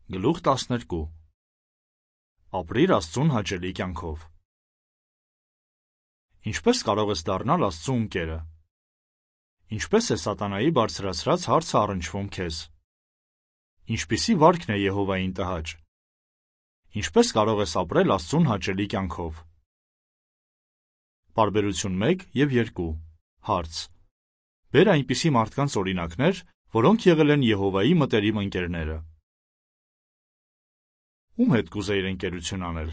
Գլուխ 12 Ապրիր Աստծուն հաճելի կյանքով։ Ինչպես կարող ես դառնալ Աստծու ընկերը։ Ինչպես է սատանայի բարձրացրած հարցը առնչվում քեզ։ Ինչպիսի վարքն է Եհովային տհաճ։ Ինչպես կարող ես ապրել Աստծուն հաճելի կյանքով։ Պարբերություն 1 և 2 Հարց. Բեր այնպիսի մարդկանց օրինակներ, որոնք եղել են Եհովայի մտերիմ ընկերները։ Ում հետ կուզեիր ընկերություն անել։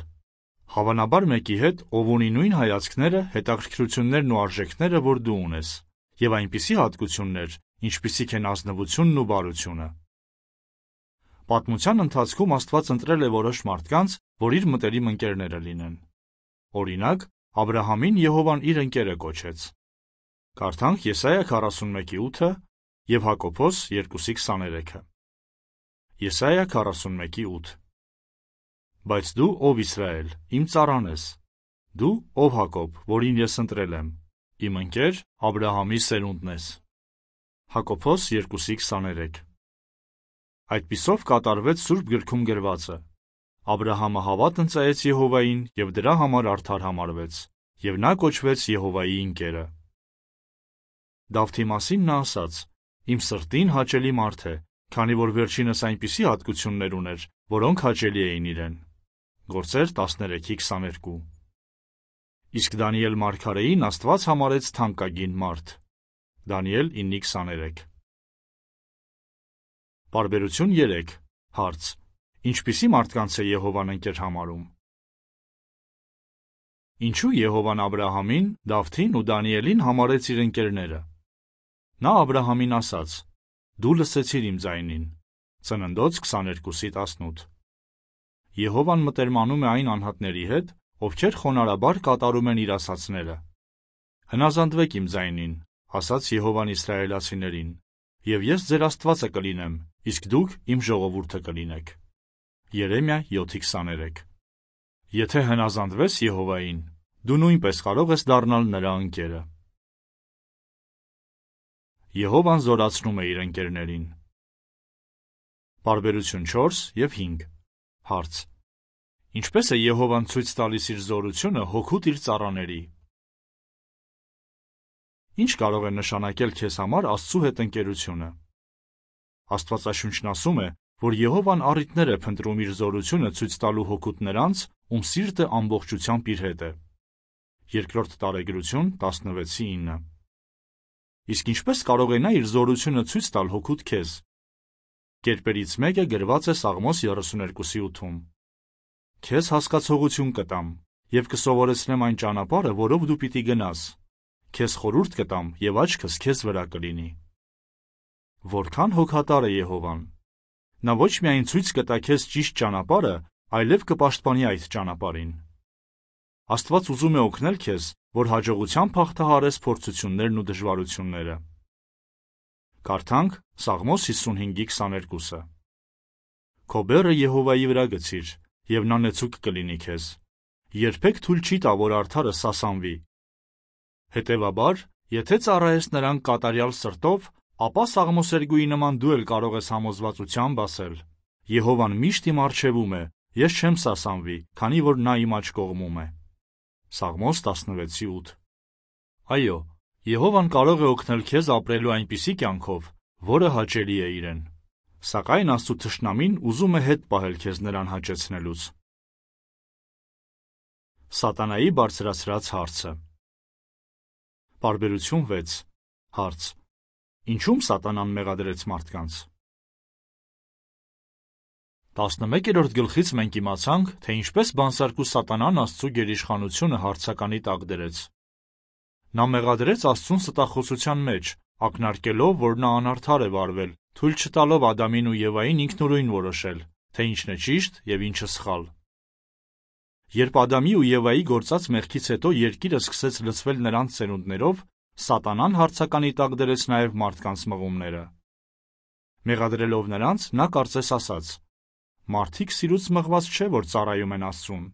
Հավանաբար մեկի հետ, ով ունի նույն հայացքները, հետաքրքրություններն ու արժեքները, որ դու ունես, և այնպիսի հատկություններ, ինչպիսիք են ազնվությունն ու բարությունը։ Պատմության ընթացքում Աստված ընտրել է որոշ մարդկանց, որ իր մտերիմ ընկերները լինեն։ Օրինակ, Աբրահամին Եհովան իր ընկերը կոչեց։ Կարդանք Եսայա 41:8 և Հակոբոս 2:23։ Եսայա 41:8 Բայց դու, ով Իսրայել, իմ ծառան ես, դու, ով Հակոբ, որին ես ընտրել եմ, իմ ընկեր Աբրահամի սերունդն ես։ Հակոբոս 2:23 Այդպիսով կատարվեց Սուրբ գրքում գրվածը. Աբրահամը հավատ ընծայեց Եհովային և դրա համար արդար համարվեց, և նա կոչվեց Եհովայի ընկերը։ Դավթի մասին նա ասաց. Իմ սրտին հաճելի մարդ է, քանի որ վերջինս այնպիսի հատկություններ ուներ, որոնք հաճելի էին իրեն։ Գործեր 13:22 Իսկ Դանիել մարգարեին Աստված համարեց թանկագին մարդ։ Դանիել 9:23 Պարբերություն 3 Հարց. Ինչպիսի մարդկանց է Եհովան ընկեր համարում։ Ինչու Եհովան Աբրահամին, Դավթին ու Դանիելին համարեց իր ընկերները։ Նա Աբրահամին ասաց. Դու լսեցիր իմ ձայնին։ Ծննդոց 22:18 Եհովան մտերմանում է այն անհատների հետ, ովքեր խոնարհաբար կատարում են իր ասացները։ Հնազանդվեք իմ ձայնին, ասաց Եհովան իսրայելացիներին, և ես ձեր Աստվածը կլինեմ, իսկ դուք իմ ժողովուրդը կլինեք։ Երեմիա 7:23 Եթե հնազանդվես Եհովային, դու նույնպես կարող ես դառնալ նրա ընկերը։ Եհովան զորացնում է իր ընկերներին։ Պարբերություն 4 և 5 Հարց. Ինչպես է Եհովան ցույց տալիս իր զորությունը հօգուտ իր ծառաների։ Ինչ կարող է նշանակել քեզ համար Աստծու հետ ընկերությունը։ Աստվածաշունչն ասում է, որ Եհովան առիթներ է փնտրում իր զորությունը ցույց տալու հօգուտ նրանց, ում սիրտը ամբողջությամբ իր հետ է։ Երկրորդ Տարեգրություն 16:9 Իսկ ինչպես կարող է նա իր զորությունը ցույց տալ հօգուտ քեզ։ Կերպերից մեկը գրված է Սաղմոս 32:8 Քեզ հասկացողություն կտամ, և կսովորեցնեմ այն ճանապարհը, որով դու պիտի գնաս։ Քեզ խորհուրդ կտամ, և աչքս քեզ վրա կլինի։ Որքան հոգատար է Եհովան։ Նա ոչ միայն ցույց կտա քեզ ճիշտ ճանապարհը, այլև կպաշտպանի այդ ճանապարհին։ Աստված ուզում է օգնել քեզ, որ հաջողությամբ հաղթահարես փորձություններն ու դժվարությունները։ Կարդանք Սաղմոս 55:22 Քո բեռը Եհովայի վրա գցիր, և նա նեցուկ կլինի քեզ։ Երբեք թույլ չի տա, որ արդարը սասանվի։ Հետևաբար, եթե ծառայես նրան կատարյալ սրտով, ապա սաղմոսերգուի նման դու էլ կարող ես համոզվածությամբ ասել. Եհովան միշտ իմ առջևում է, ես չեմ սասանվի, քանի որ նա իմ աջ կողմում է։ Սաղմոս 16:8 Այո, Եհովան կարող է օգնել քեզ ապրելու այնպիսի կյանքով, որը հաճելի է իրեն։ Սակայն Աստծու թշնամին ուզում է հետ պահել քեզ նրան հաճեցնելուց։ Սատանայի բարձրացրած հարցը։ Պարբերություն 6 Հարց. Ինչու՞մ Սատանան մեղադրեց մարդկանց։ 11-րդ գլխից մենք իմացանք, թե ինչպես բանսարկու Սատանան Աստծու գերիշխանությունը հարցականի տակ դրեց։ Նա մեղադրեց Աստծուն ստախոսության մեջ, ակնարկելով, որ նա անարդար է վարվել, թույլ չտալով Ադամին ու Եվային ինքնուրույն որոշել, թե ինչն է ճիշտ և ինչը սխալ։ Երբ Ադամի ու Եվայի գործած մեղքից հետո երկիրը սկսեց լցվել նրանց սերունդներով, Սատանան հարցականի տակ դրեց նաև մարդկանց մղումները։ Մեղադրելով նրանց, նա կարծես ասաց. Մարդիկ սիրուց մղված չէ, որ ծառայում են Աստծուն։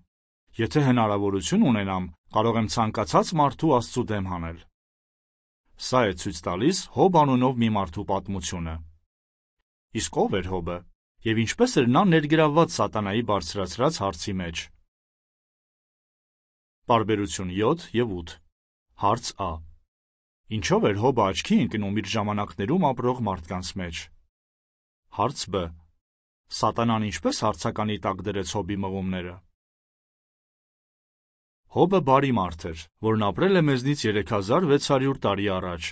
Եթե հնարավորություն ունենամ, կարող եմ ցանկացած մարդու Աստծու դեմ հանել։ Սա է ցույց տալիս Հոբ անունով մի մարդու պատմությունը։ Իսկ ով էր Հոբը։ եւ ինչպես էր նա ներգրավված սատանայի բարձրացրած հարցի մեջ։ Պարբերություն 7 եւ 8 Հարց Ա. Ինչով էր Հոբը աչքի ընկնում իր ժամանակներում ապրող մարդկանց մեջ։ Հարց Բ. Սատանան ինչպես հարցականի տակ դրեց Հոբի մղումները։ Հոբը բարի մարդ էր, որն ապրել է մեզնից 3600 տարի առաջ։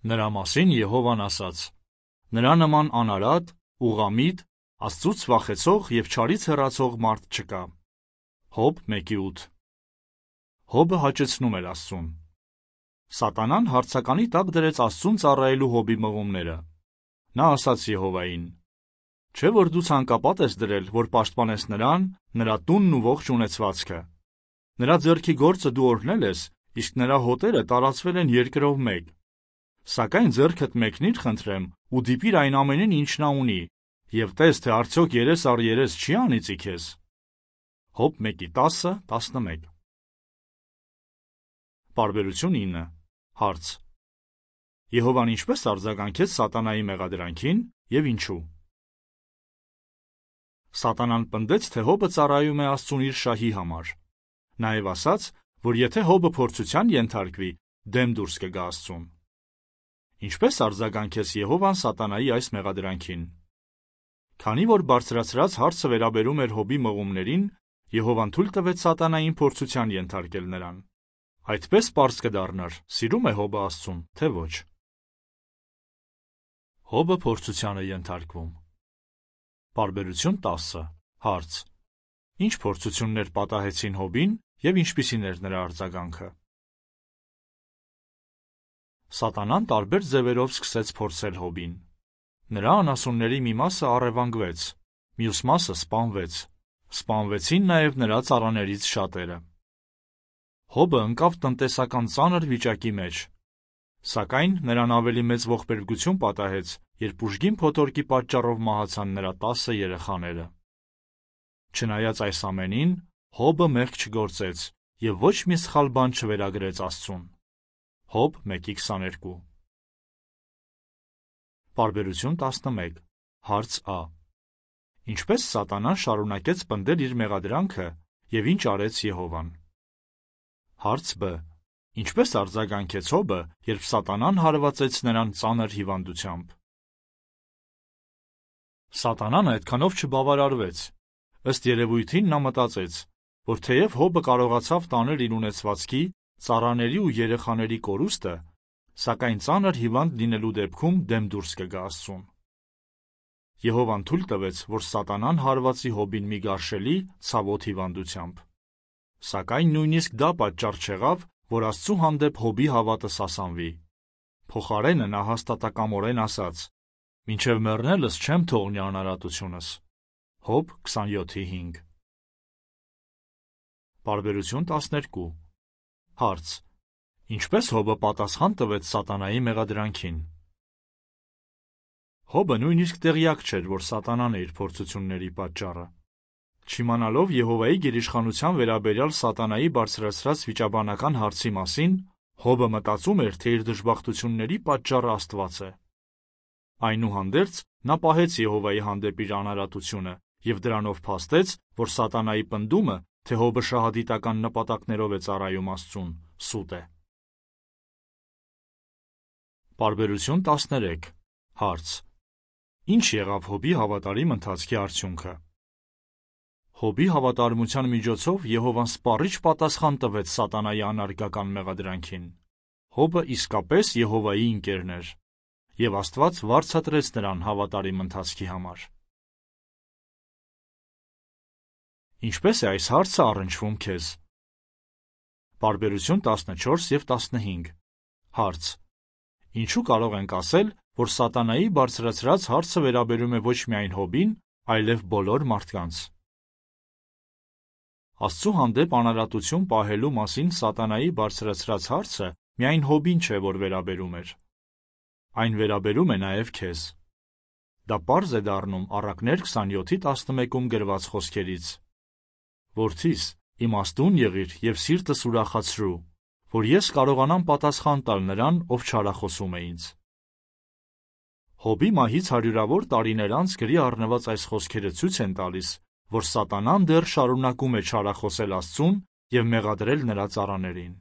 Նրա մասին Եհովան ասաց. նրա նման անարատ, ուղղամիտ, Աստծուց վախեցող եւ չարից հեռացող մարդ չկա։ Հոբ 1:8 Հոբը հաճեցնում էր Աստծուն։ Սատանան հարցականի տակ դրեց Աստծուն ծառայելու Հոբի մղումները։ Նա ասաց Եհովային. Չէ՞ որ դու ցանկապատ ես դրել, որ պաշտպանես նրան, նրա տունն ու ողջ ունեցվածքը։ Նրա ձեռքի գործը դու օրհնել ես, իսկ նրա հոտերը տարածվել են երկրով մեկ։ Սակայն ձեռքդ մեկնիր, խնդրեմ, ու դիպիր այն ամենին, ինչ նա ունի, եւ տես, թե արդյոք երես առ երես չի անիծի քեզ։ Հոբ 1:10-11 Պարբերություն 9 Հարց. Եհովան ինչպես արձագանքեց սատանայի մեղադրանքին եւ ինչու։ Սատանան պնդեց, թե Հոբը ծառայում է Աստծուն իր շահի համար։ Նաեւ ասաց, որ եթե Հոբը փորձության ենթարկվի, դեմ դուրս կգա Աստծուն։ Ինչպես արձագանքեց Եհովան սատանայի այս մեղադրանքին։ Քանի որ բարձրացրած հարցը վերաբերում էր Հոբի մղումներին, Եհովան թույլ տվեց սատանային փորձության ենթարկել նրան։ Այդպես պարզ կդառնար, սիրում է Հոբը Աստծուն, թե ոչ։ Հոբը փորձության է ենթարկվում։ Պարբերություն 10 Հարց. Ինչ փորձություններ պատահեցին Հոբին եւ ինչպիսին էր նրա արձագանքը։ Սատանան տարբեր ձևերով սկսեց փորձել Հոբին։ Նրա անասունների մի մասը առևանգվեց, մյուս մասը սպանվեց։ Սպանվեցին նաեւ նրա ծառաներից շատերը։ Հոբը ընկավ տնտեսական ծանր վիճակի մեջ, սակայն նրան ավելի մեծ ողբերգություն պատահեց, երբ ուժգին փոթորկի պատճառով մահացան նրա 10 երեխաները։ Չնայած այս ամենին, Հոբը մեղք չգործեց եւ ոչ մի սխալ բան չվերագրեց Աստծուն։ Հոբ 1:22 Պարբերություն 11 Հարց Ա. Ինչպես սատանան շարունակեց պնդել իր մեղադրանքը եւ ինչ արեց Եհովան։ Հարց Բ. Ինչպես արձագանքեց Հոբը, երբ սատանան հարվածեց նրան ծանր հիվանդությամբ։ Սատանան այդքանով չբավարարվեց։ Ըստ երևույթին նա մտածեց, որ թեև Հոբը կարողացավ տանել իր ունեցվածքի, ծառաների ու երեխաների կորուստը, սակայն ծանր հիվանդ լինելու դեպքում դեմ դուրս կգա Աստծուն։ Եհովան թույլ տվեց, որ սատանան հարվածի Հոբին մի գարշելի, ցավոտ հիվանդությամբ։ Սակայն նույնիսկ դա պատճառ չեղավ, որ Աստծու հանդեպ Հոբի հավատը սասանվի։ Փոխարենը նա հաստատակամորեն ասաց. «Մինչև մեռնելս չեմ թողնի անարատությունս»։ Հոբ 27:5 Պարբերություն 12 Հարց. Ինչպես Հոբը պատասխան տվեց սատանայի մեղադրանքին։ Հոբը նույնիսկ տեղյակ չէր, որ սատանան է իր փորձությունների պատճառը։ Չիմանալով Եհովայի գերիշխանության վերաբերյալ սատանայի բարձրացրած վիճաբանական հարցի մասին, Հոբը մտածում էր, թե իր դժբախտությունների պատճառը Աստված է։ Այնուհանդերձ, նա պահեց Եհովայի հանդեպ իր անարատությունը եւ դրանով փաստեց, որ սատանայի պնդումը, թե Հոբը շահադիտական նպատակներով է ծառայում Աստծուն, սուտ է։ Պարբերություն 13 Հարց. Ինչ եղավ Հոբի հավատարիմ ընթացքի արդյունքը։ Հոբի հավատարմության միջոցով Եհովան սպառիչ պատասխան տվեց սատանայի անարգական մեղադրանքին։ Հոբը իսկապես Եհովայի ընկերն էր, եւ Աստված վարձատրեց նրան հավատարիմ ընթացքի համար։ Ինչպես է այս հարցը առնչվում քեզ։ Պարբերություն 14 եւ 15 Հարց. Ինչու կարող ենք ասել, որ սատանայի բարձրացրած հարցը վերաբերում է ոչ միայն Հոբին, այլև բոլոր մարդկանց։ Աստծու հանդեպ անարատություն պահելու մասին սատանայի բարձրացրած հարցը միայն Հոբին չէ, որ վերաբերում էր։ Այն վերաբերում է նաև քեզ։ Դա պարզ է դառնում Առակներ 27:11-ում գրված խոսքերից. Որդիս, իմաստուն եղիր եւ սիրտս ուրախացրու, որ ես կարողանամ պատասխան տալ նրան, ով չարախոսում է ինձ։ Հոբի մահից հարյուրավոր տարիներ անց գրի առնված այս խոսքերը ցույց են տալիս, որ սատանան դեռ շարունակում է չարախոսել Աստծուն և մեղադրել նրա ծառաներին։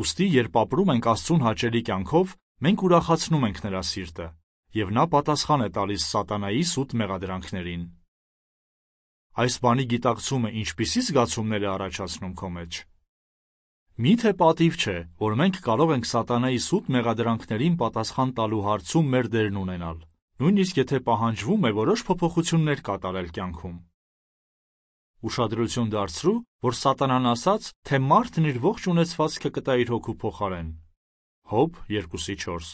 Ուստի, երբ ապրում ենք Աստծուն հաճելի կյանքով, մենք ուրախացնում ենք նրա սիրտը, և նա պատասխան է տալիս սատանայի սուտ մեղադրանքներին։ Այս բանի գիտակցումը ինչպիսի զգացումներ է առաջացնում քո մեջ։ Մի՞թե պատիվ չէ, որ մենք կարող ենք սատանայի սուտ մեղադրանքներին պատասխան տալու հարցում մեր դերն ունենալ, նույնիսկ եթե պահանջվում է որոշ փոփոխություններ կատարել կյանքում։ Ուշադրություն դարձրու, որ սատանան ասաց, թե մարդն իր ողջ ունեցվածքը կտա իր հոգու փոխարեն։ Հոբ 2:4։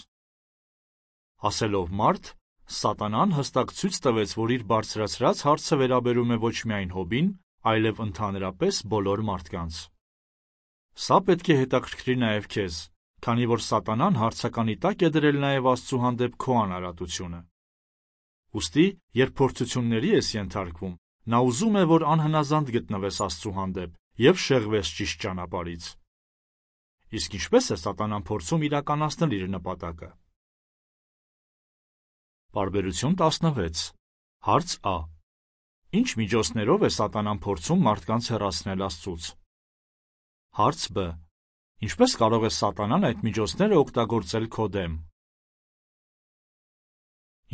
Ասելով մարդ, սատանան հստակ ցույց տվեց, որ իր բարձրացրած հարցը վերաբերում է ոչ միայն Հոբին, այլև ընդհանրապես բոլոր մարդկանց։ Սա պետք է հետաքրքրի նաև քեզ, քանի որ սատանան հարցականի տակ է դրել նաև Աստծու հանդեպ քո անարատությունը։ Ուստի, երբ փորձությունների ես ենթարկվում, նա ուզում է, որ անհնազանդ գտնվես Աստծու հանդեպ և շեղվես ճիշտ ճանապարհից։ Իսկ ինչպե՞ս է սատանան փորձում իրականացնել իր նպատակը։ Պարբերություն 16։ Հարց Ա. Ինչ միջոցներով է սատանան փորձում մարդկանց հեռացնել Աստծուց։ Հարց Բ. Ինչպես կարող է սատանան այդ միջոցները օգտագործել քո դեմ։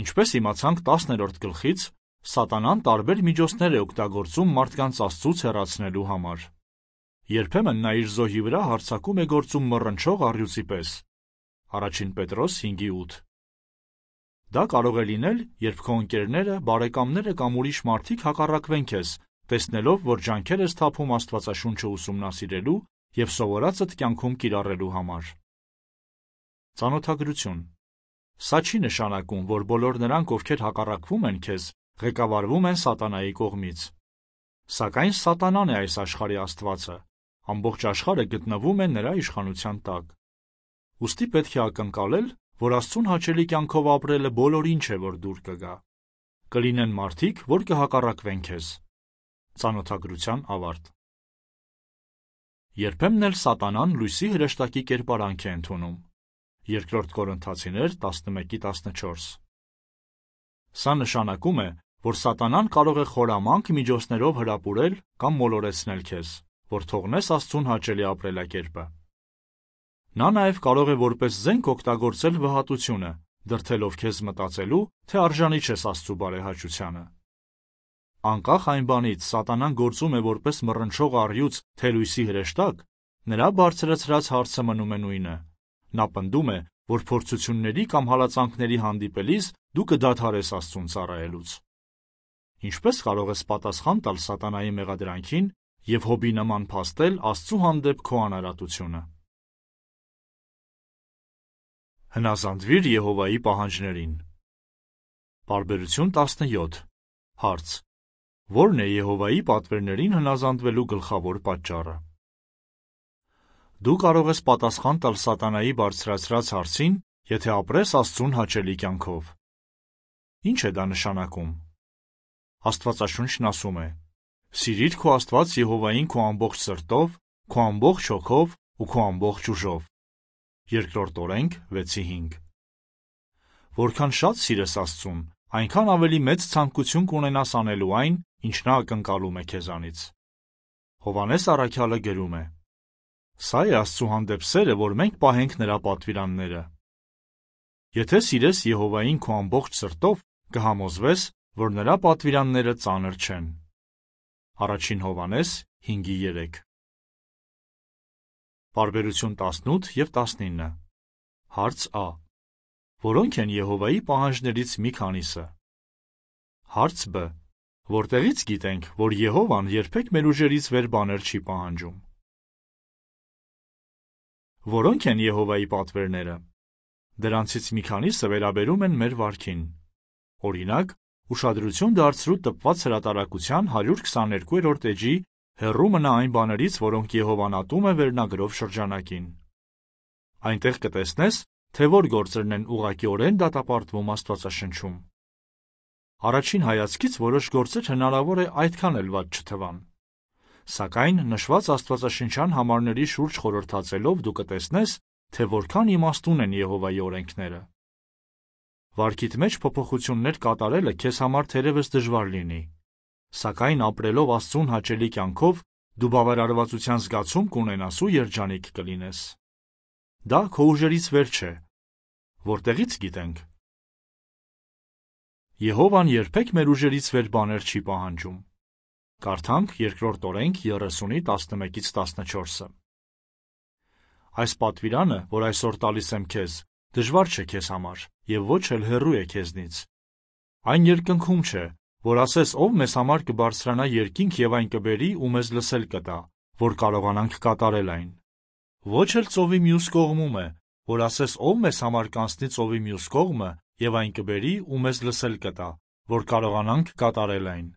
Ինչպես իմացանք 10-րդ գլխից, սատանան տարբեր միջոցներ է օգտագործում մարդկանց Աստծուց հեռացնելու համար։ Երբեմն նա իր զոհի վրա հարձակում է գործում մռնչող առյուծի պես։ Առաջին Պետրոս 5:8։ Դա կարող է լինել, երբ քո ընկերները, բարեկամները կամ ուրիշ մարդիկ հակառակվեն քեզ, տեսնելով, որ ջանքեր ես թափում Աստվածաշունչը ուսումնասիրելու և սովորածդ կյանքում կիրառելու համար։ Ծանոթագրություն։ Սա չի նշանակում, որ բոլոր նրանք, ովքեր հակառակվում են քեզ, ղեկավարվում են սատանայի կողմից։ Սակայն սատանան է այս աշխարհի աստվածը, ամբողջ աշխարհը գտնվում է նրա իշխանության տակ։ Ուստի պետք է ակնկալել, որ Աստծուն հաճելի կյանքով ապրելը բոլորին չէ, որ դուր կգա։ Կլինեն մարդիկ, որ կհակառակվեն քեզ։ Ծանոթագրության ավարտ։ Երբեմն էլ սատանան լույսի հրեշտակի կերպարանք է ընդունում։ 2 Կորինթացիներ 11:14։ Սա նշանակում է, որ սատանան կարող է խորամանկ միջոցներով հրապուրել կամ մոլորեցնել քեզ, որ թողնես Աստծուն հաճելի ապրելակերպը։ Նա նաև կարող է որպես զենք օգտագործել վհատությունը, դրդելով քեզ մտածելու, թե արժանի չես Աստծու բարեհաճությանը։ Անկախ այն բանից, սատանան գործում է որպես մռնչող առյուծ, թե լույսի հրեշտակ, նրա բարձրացրած հարցը մնում է նույնը։ Նա պնդում է, որ փորձությունների կամ հալածանքների հանդիպելիս դու կդադարես Աստծուն ծառայելուց։ Ինչպես կարող ես պատասխան տալ սատանայի մեղադրանքին և Հոբի նման փաստել Աստծու հանդեպ քո անարատությունը։ Հնազանդվիր Եհովայի պահանջներին։ Պարբերություն 17։ Հարց. Ո՞րն է Եհովայի պատվերներին հնազանդվելու գլխավոր պատճառը։ Դու կարող ես պատասխան տալ սատանայի բարձրացրած հարցին, եթե ապրես Աստծուն հաճելի կյանքով։ Ինչ է դա նշանակում։ Աստվածաշունչն ասում է. «Սիրիր քո Աստված Եհովային քո ամբողջ սրտով, քո ամբողջ հոգով ու քո ամբողջ ուժով»։ 2 Օրենք 6:5։ Որքան շատ սիրես Աստծուն, այնքան ավելի մեծ ցանկություն կունենաս անելու այն, ինչ նա ակնկալում է քեզանից։ Հովհաննես առաքյալը գրում է. «Սա է Աստծու հանդեպ սերը, որ մենք պահենք նրա պատվիրանները»։ Եթե սիրես Եհովային քո ամբողջ սրտով, կհամոզվես, որ նրա պատվիրանները ծանր չեն։ Առաջին Հովհաննես 5:3։ Պարբերություն 18 և 19։ Հարց Ա. Որոնք են Եհովայի պահանջներից մի քանիսը։ Հարց Բ. Որտեղից գիտենք, որ Եհովան երբեք մեր ուժերից վեր բաներ չի պահանջում։ Որոնք են Եհովայի պատվերները։ Դրանցից մի քանիսը վերաբերում են մեր վարքին։ Օրինակ, ուշադրություն դարձրու տպված հրատարակության 122-րդ էջի «Հեռու մնա այն բաներից, որոնք Եհովան ատում է» վերնագրով շրջանակին։ Այնտեղ կտեսնես, թե որ գործերն են ուղղակիորեն դատապարտվում Աստվածաշնչում։ Առաջին հայացքից որոշ գործեր հնարավոր է այդքան էլ վատ չթվան։ Սակայն նշված աստվածաշնչյան համարների շուրջ խորհրդածելով դու կտեսնես, թե որքան իմաստուն են Եհովայի օրենքները։ Վարքիդ մեջ փոփոխություններ կատարելը քեզ համար թերևս դժվար լինի, սակայն ապրելով Աստծուն հաճելի կյանքով դու բավարարվածության զգացում կունենաս ու երջանիկ կլինես։ Դա քո ուժերից վեր չէ, որտեղից գիտենք։ Եհովան երբեք մեր ուժերից վեր բաներ չի պահանջում։ Կարդանք 2 Օրենք 30:11-14։ Այս պատվիրանը, որ այսօր տալիս եմ քեզ, դժվար չէ քեզ համար և ոչ էլ հեռու է քեզնից։ Այն երկնքում չէ, որ ասես ով մեզ համար կբարձրանա երկինք և այն կբերի ու մեզ լսել կտա, որ կարողանանք կատարել այն։ Ոչ էլ ծովի մյուս կողմում է, որ ասես ով մեզ համար կանցնի ծովի մյուս կողմը և այն կբերի ու մեզ լսել կտա, որ կարողանանք կատարել այն։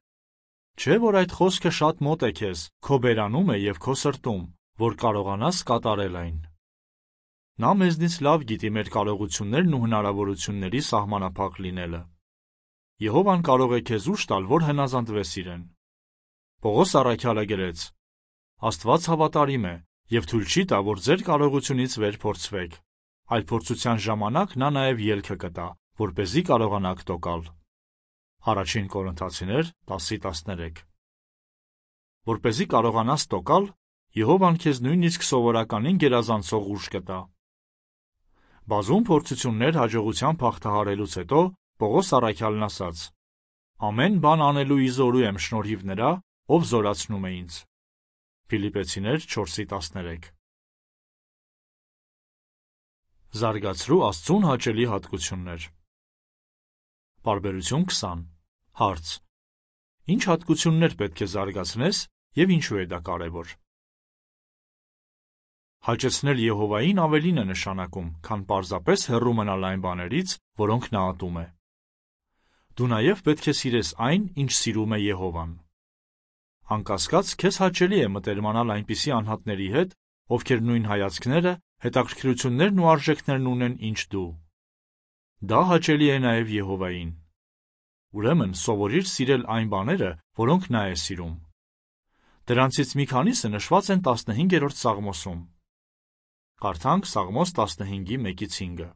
Չէ՞ որ այդ խոսքը շատ մոտ է քեզ, քո բերանում է և քո սրտում, որ կարողանաս կատարել այն։ Նա մեզնից լավ գիտի մեր կարողություններն ու հնարավորությունների սահմանափակ լինելը։ Եհովան կարող է քեզ ուժ տալ, որ հնազանդվես իրեն։ Պողոս առաքյալը գրեց. Աստված հավատարիմ է և թույլ չի տա, որ ձեր կարողությունից վեր փորձվեք, այլ փորձության ժամանակ նա նաև ելքը կտա, որպեսզի կարողանաք տոկալ։ Առաջին Կորինթացիներ 10:13։ Որպեսզի կարողանաս տոկալ, Եհովան քեզ նույնիսկ սովորականին գերազանցող ուժ կտա։ Բազում փորձություններ հաջողությամբ հաղթահարելուց հետո Պողոս առաքյալն ասաց. Ամեն բան անելու իզորու եմ շնորհիվ նրա, ով զորացնում է ինձ։ Ֆիլիպպեցիներ 4:13։ Զարգացրու Աստծուն հաճելի հատկություններ։ Պարբերություն 20։ Հարց. Ինչ հատկություններ պետք է զարգացնես և ինչու է դա կարևոր։ Հաճեցնել Եհովային ավելին է նշանակում, քան պարզապես հեռու մնալ այն բաներից, որոնք նա ատում է։ Դու նաև պետք է սիրես այն, ինչ սիրում է Եհովան։ Անկասկած, քեզ հաճելի է մտերմանալ այնպիսի անհատների հետ, ովքեր նույն հայացքները, հետաքրքրություններն ու արժեքներն ունեն, ինչ դու։ Դա հաճելի է նաև Եհովային։ Ուրեմն սովորիր սիրել այն բաները, որոնք նա է սիրում։ Դրանցից մի քանիսը նշված են 15-րդ Սաղմոսում։ Կարդանք Սաղմոս 15:1-5։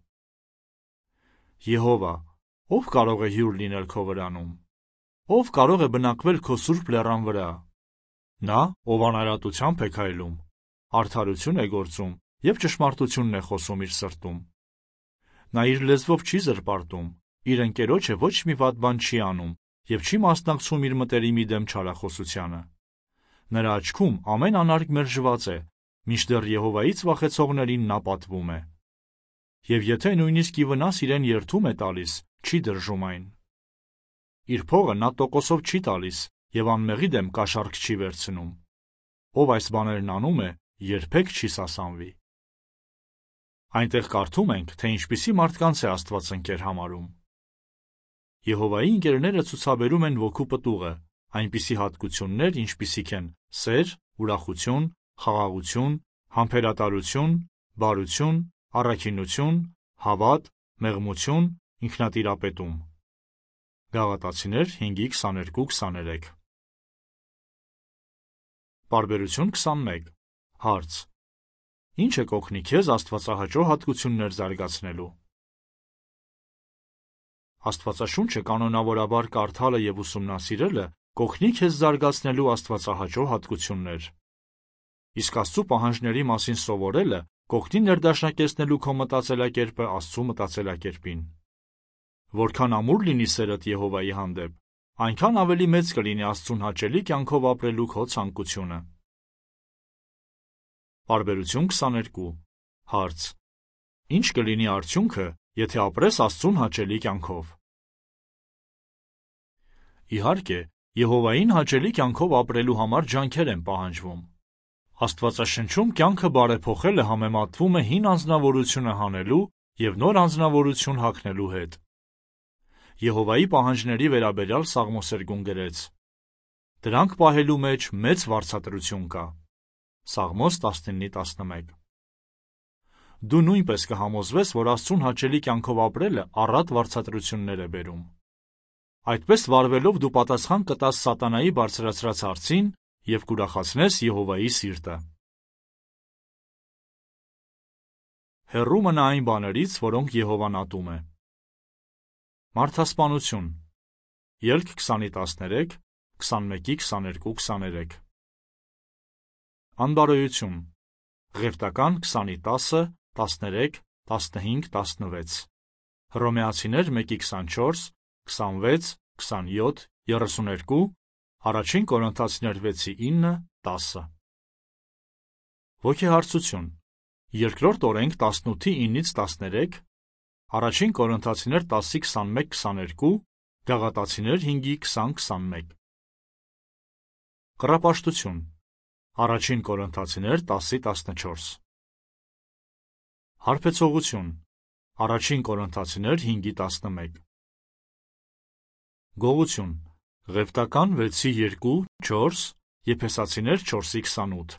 Եհովա, ով կարող է հյուր լինել քո վրանում։ Ով կարող է բնակվել քո սուրբ լեռան վրա։ Նա, ով անարատությամբ է քայլում, արդարություն է գործում և ճշմարտությունն է խոսում իր սրտում։ Նա իր լեզվով չի զրպարտում, իր ընկերոջը ոչ մի վատ բան չի անում և չի մասնակցում իր մտերիմի դեմ չարախոսությանը։ Նրա աչքում ամեն անարգ մերժված է, մինչդեռ Եհովայից վախեցողներին նա պատվում է։ Եվ եթե նույնիսկ ի վնաս իրեն երդում է տալիս, չի դրժում այն։ Իր փողը նա տոկոսով չի տալիս և անմեղի դեմ կաշառք չի վերցնում։ Ով այս բաներն անում է, երբեք չի սասանվի։ Այնտեղ կարդում ենք, թե ինչպիսի մարդկանց է Աստված ընկեր համարում։ Եհովայի ընկերները ցուցաբերում են ոգու պտուղը, այնպիսի հատկություններ, ինչպիսիք են սեր, ուրախություն, խաղաղություն, համբերատարություն, բարություն, առաքինություն, հավատ, մեղմություն, ինքնատիրապետում։ Գաղատացիներ 5:22-23։ Պարբերություն 21։ Հարց. Ինչ է կօգնի քեզ աստվածահաճո հատկություններ զարգացնելու։ Աստվածաշունչը կանոնավորաբար կարդալը և ուսումնասիրելը կօգնի քեզ զարգացնելու աստվածահաճո հատկություններ։ Իսկ Աստծու պահանջների մասին սովորելը կօգնի ներդաշնակեցնելու քո մտածելակերպը Աստծու մտածելակերպին։ Որքան ամուր լինի սերդ Եհովայի հանդեպ, այնքան ավելի մեծ կլինի Աստծուն հաճելի կյանքով ապրելու քո ցանկությունը։ Պարբերություն 22։ Հարց. Ինչ կլինի արդյունքը, եթե ապրես Աստծուն հաճելի կյանքով։ Իհարկե, Եհովային հաճելի կյանքով ապրելու համար ջանքեր են պահանջվում։ Աստվածաշնչում կյանքը բարեփոխելը համեմատվում է հին անձնավորությունը հանելու և նոր անձնավորություն հագնելու հետ։ Եհովայի պահանջների վերաբերյալ Սաղմոսերգուն գրեց. Դրանք պահելու մեջ մեծ վարձատրություն կա։ Սաղմոս 19:11։ Դու նույնպես կհամոզվես, որ Աստծուն հաճելի կյանքով ապրելը առատ վարձատրություններ է բերում։ Այդպես վարվելով դու պատասխան կտաս սատանայի բարձրացրած հարցին և կուրախացնես Եհովայի սիրտը։ Հեռու մնա այն բաներից, որոնք Եհովան ատում է։ Մարդասպանություն։ Ելք 20-13, 21-22-23։ Անբարոյություն։ Ղևտական 20-10, 13, 15, 16։ Հռոմեացիներ 1-24, 26, 27, 32, Առաջին Կորինթացիներ 6-9, 10։ Ոգեհարցություն։ Երկրորդ օրենք 18-9-13, Առաջին Կորինթացիներ 10-21-22, Գաղատացիներ 5-20-21։ Կռապաշտություն։ Առաջին Կորինթացիներ 10-14։ Հարբեցողություն։ Առաջին Կորինթացիներ 5-11։ Գողություն։ Ղևտական 6-2-4, Եփեսացիներ 4-28։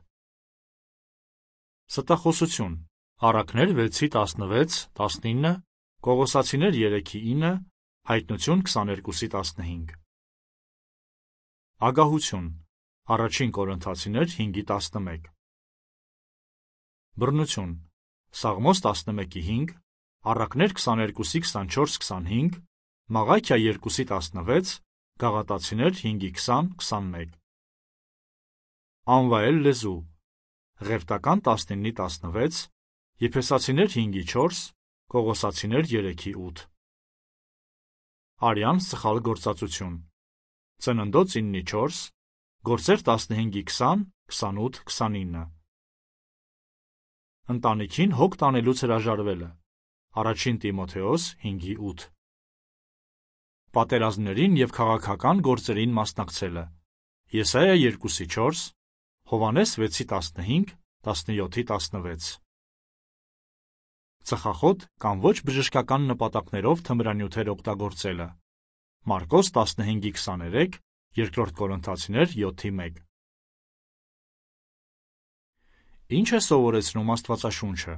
Ստախոսություն։ Առակներ 6-16-19, Կողոսացիներ 3-9, Հայտնություն 22-15։ Ագահություն։ Առաջին Կորինթացիներ 5-11։ Բռնություն։ Սաղմոս 11-5, Առակներ 22-24-25, Մաղաքիա 2-16, Գաղատացիներ 5-20-21։ Անվայել լեզու։ Ղևտական 19-16, Եփեսացիներ 5-4, Կողոսացիներ 3-8։ Արյան սխալ գործածություն։ Ծննդոց 9-4, Գործեր 15-20, 28-29։ Ընտանիքին հոգ տանելուց հրաժարվելը։ Առաջին Տիմոթեոս 5-8։ Պատերազմներին և քաղաքական գործերին մասնակցելը։ Եսայա 2-4, Հովհաննես 6-15, 17-16։ Ծխախոտ կամ ոչ բժշկական նպատակներով թմրանյութեր օգտագործելը։ Մարկոս 15-23, Երկրորդ Կորինթացիներ 7-1։ Ինչ է սովորեցնում Աստվածաշունչը։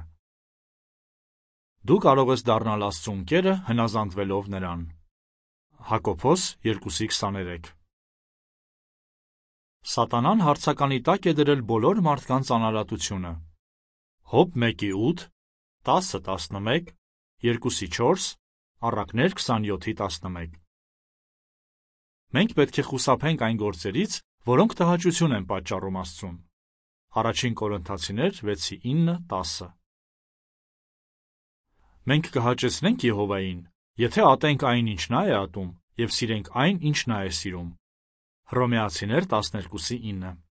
Դու կարող ես դառնալ Աստծու ընկերը հնազանդվելով նրան։ Հակոբոս 2:23։ Սատանան հարցականի տակ է դրել բոլոր մարդկանց անարատությունը։ Հոբ 1:8, 10:11, 2:4, Առակներ 27:11։ Մենք պետք է խուսափենք այն գործերից, որոնք տհաճություն են պատճառում Աստծուն։ Առաջին Կորինթացիներ 6:9-10։ Մենք կհաճեցնենք Եհովային, եթե ատենք այն, ինչ նա է ատում, և սիրենք այն, ինչ նա է սիրում։ Հռոմեացիներ 12:9։